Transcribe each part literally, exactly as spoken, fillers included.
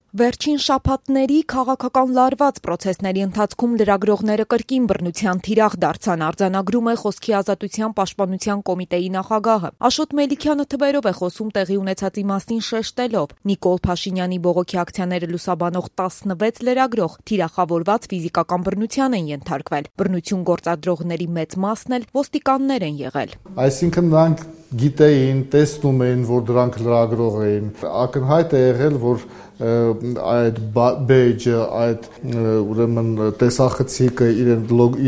Վերջին շաբաթների քաղաքական լարված պրոցեսների ընթացքում լրագրողները կրկին բռնության թիրախ դարձան, արձանագրում է Խոսքի ազատության պաշտպանության կոմիտեի նախագահը։ Աշոտ Մելիքյանը թվերով է խոսում տեղի ունեցածի մասին շեշտելով. Նիկոլ Փաշինյանի բողոքի ակցիաները լուսաբանող տասնվեց լրագրող թիրախավորված ֆիզիկական բռնության են ենթարկվել։ Բռնություն գործադրողների մեծ մասն էլ ոստիկաններ են եղել։ Այսինքն նրանք գիտեին, տեսնում էին, որ դրանք լրագրող էին։ Ակնհայտ է եղել, որ այդ բեյջը, այդ ուրեմն տեսախցիկը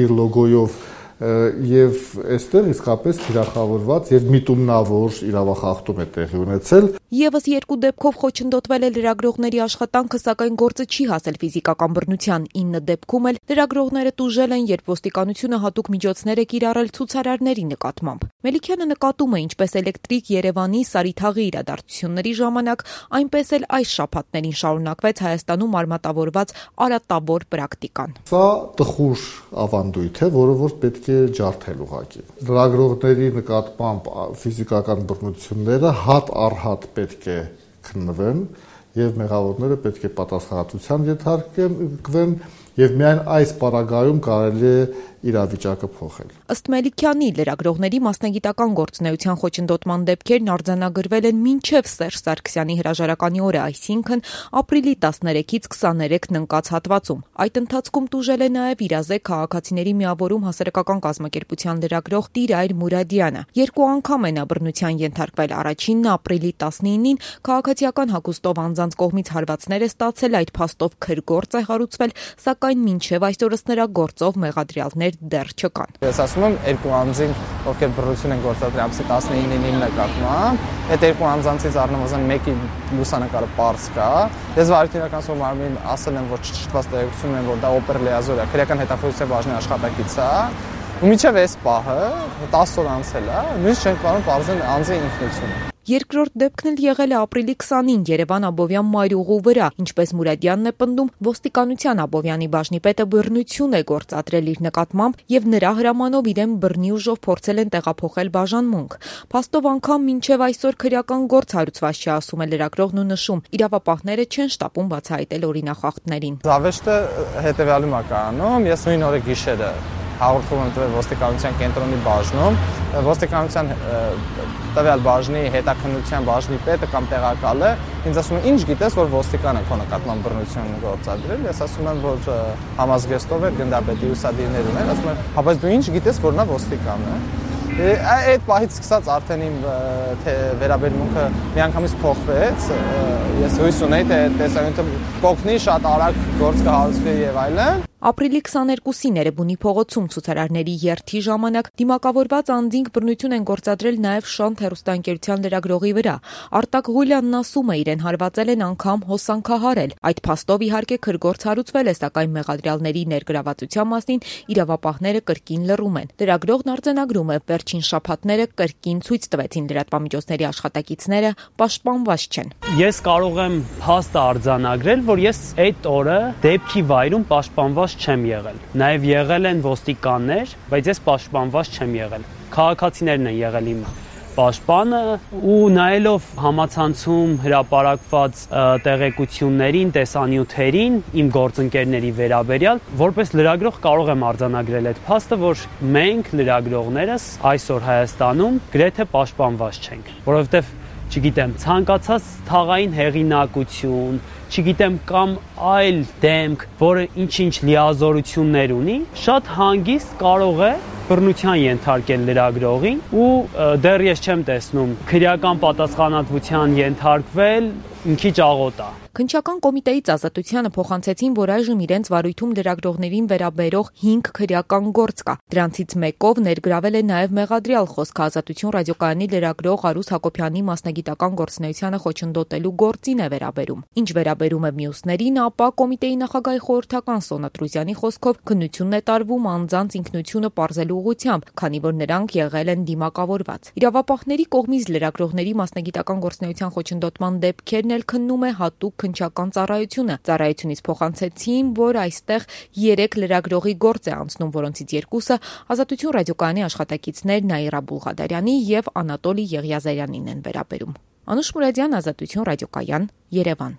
իր լոգոյով եւ այստեղ իսկապես թիրախավորված եւ միտումնավոր իրավախախտում է տեղի ունեցել։ Եվս երկու դեպքով խոչընդոտվել է լրագրողների աշխատանքը, սակայն գործը չի հասել ֆիզիկական բռնության։ ինը դեպքում էլ լրագրողները տուժել են, երբ ոստիկանությունը հատուկ միջոցներ է կիրառել ցուցարարների նկատմամբ։ Մելիքյանը նկատում է ինչպես էլեկտրիկ Երևանի Սարիթաղի իրադարձությունների ժամանակ, այնպես էլ այս շաբաթներին շարունակվեց Հայաստանում արմատավորված արատավոր պրակտիկան։ Սա տխուր ավանդույթ է, որը որ պետք է ջարդել ուղղակի։ Լրագրողների նկատմամբ ֆիզիկական բռնությունները հատ առ հատ պետք է քննվեն եւ մեղավորները պետք է պատասխանատվության ենթարկվեն եւ միայն այս պարագայում կարելի է իրավիճակը փոխել։ Ըստ Մելիքյանի, լրագրողների մասնագիտական գործունեության խոչընդոտման դեպքերն արձանագրվել են մինչև Սերժ Սարգսյանի հրաժարականի օրը, այսինքն ապրիլի տասներեքից քսաներեքն ընկած հատվածում։ Այդ ընթացքում տուժել է նաև իրազեկ քաղաքացիների միավորում հասարակական կազմակերպության լրագրող Տիրայր Մուրադյանը։ Երկու անգամ է նա բռնության ենթարկվել։ Առաջինն ապրիլի տասնինին քաղաքացիական հագուստով անձանց կողմից հարվածներ է ստացել, այդ փաստով քրգործ է հարուցվել, սակայն մինչև այսօրս նրա գործով մեղադրյալներ դեռ չկան։ Ես ասում եմ երկու անձին, ովքեր բռնություն են գործադրել ամսի տասնինին նկատմամբ, այդ երկու անձանցից առնվազն մեկի լուսանկարը պարզ կա։ Ես վարչական սովորաբար ասել եմ, որ չճշտված տեղեկություն ունեմ, որ դա օպեր լիազոր է, քրեական հետախուզության բաժնի աշխատակից է, ու մինչև այս պահը տասը օր անցել է, նույնիսկ չենք կարող պարզել անձի ինքնությունը։ Երկրորդ դեպքն էլ եղել է ապրիլի քսանին Երևան Աբովյան մայրուղու վրա, ինչպես Մուրադյանն է պնդում, ոստիկանության Աբովյանի բաժնիպետը բռնություն է գործադրել իր նկատմամբ եւ նրա հրամանով իրեն բռնի ուժով փորձել են տեղափոխել բաժանմունք։ Փաստով անգամ մինչեւ այսօր քրեական գործ հարուցված չի, ասում է լրագրողն ու նշում, իրավապահները չեն շտապում բացահայտել օրինախախտներին։ Զավեշտը հետեւյալում է կանում, ես նույն օրը գիշերը հաղորդում եմ տվել ոստիկանության կենտրոնի բաժնում, ոստիկանության տվյալ բաժնի հետաքննության բաժնի պետը կամ տեղակալը ինձ ասում է, ինչ գիտես, որ ոստիկանը քո նկատմամբ բռնություն գործադրել, ես ասում եմ, որ համազգեստով է, գնդապետի ուսադիրներ ուներ, ասում եմ, հա բայց դու ինչ գիտես, որ նա ոստիկան է։ Այդ պահից սկսած արդեն իմ վերաբերմունքը միանգամից փոխվեց, ես հույս ունեի, թե տեսանյութը կօգնի, շատ արագ գործ կհարուցվի եւ այլն։ Ապրիլի քսաներկուսին Էրեբունի փողոցում ցուցարարների երթի ժամանակ դիմակավորված անձինք բռնություն են գործադրել նաև Շանթ հեռուստաընկերության լրագրողի վրա։ Արտակ Ղուլյանն ասում է, իրեն հարվածել են անգամ հոսանքահարել։ Այդ փաստով իհարկե քրգործ հարուցվել է, սակայն մեղադրյալների ներգրավվածության մասին իրավապահները կրկին լռում են։ Լրագրողն արձանագրում է, վերջին շաբաթները կրկին ցույց տվեցին լրատվամիջոցների աշխատակիցները պաշտպանված չեն։ Ես կարող եմ փաստ արձանագրել, որ ես այդ օրը դեպքի վայրում պաշտպանված չեմ եղել։ Նաև եղել են ոստիկաններ, բայց ես պաշտպանված չեմ եղել։ Քաղաքացիներն են եղել իմ պաշտպանը ու նայելով համացանցում հրապարակված տեղեկություններին, տեսանյութերին իմ գործընկերների վերաբերյալ, որպես լրագրող կարող եմ արձանագրել այդ փաստը, որ մենք լրագրողներս այսօր Հայաստանում գրեթե պաշտպանված չենք, որովհետև չգիտեմ, ցանկացած թաղային հեղինակություն, չգիտեմ, կամ այլ դեմք, որը ինչ-ինչ լիազորություններ ունի, շատ հանգիստ կարող է բռնության ենթարկել լրագրողին ու դեռ ես չեմ տեսնում քրեական պատասխանատվության ենթարկվել, մի քիչ աղոտ է։ Քննչական կոմիտեից Ազատությանը փոխանցեցին, որ այժմ իրենց վարույթում լրագրողներին վերաբերող հինգ քրեական գործ կա։ Դրանցից մեկով ներգրավել է նաև մեղադրյալ Խոսքը ազատություն ռադիոկայանի լրագրող Արուս Հակոբյանի մասնագիտական գործունեությանը խոչընդոտելու գործին է վերաբերում։ Ինչ վերաբերում է մյուսներին, ապա կոմիտեի նախագահի խորհրդական Սոնա Տրուզյանի խոսքով քննությունն է տարվում անձանց ինքնությունը պարզելու ուղղությամբ, քանի որ նրանք եղել են դիմակավորված։ Իրավապահների կողմից լրագրողների մասնագիտական գործունեության խոչընդոտման դեպքերն էլ քննում է հատուկ քննչական ծառայությունը։ Ծառայությունից փոխանցեցին, որ այստեղ երեք լրագրողի գործ է անցնում, որոնցից երկուսը Ազատություն ռադիոկայանի աշխատակիցներ Նաիրա Բուլղադարյանի եւ Անատոլի Եղիազարյանին են վերաբերում։ Անուշ Մուրադյան, Ազատություն ռադիոկայան, Երևան։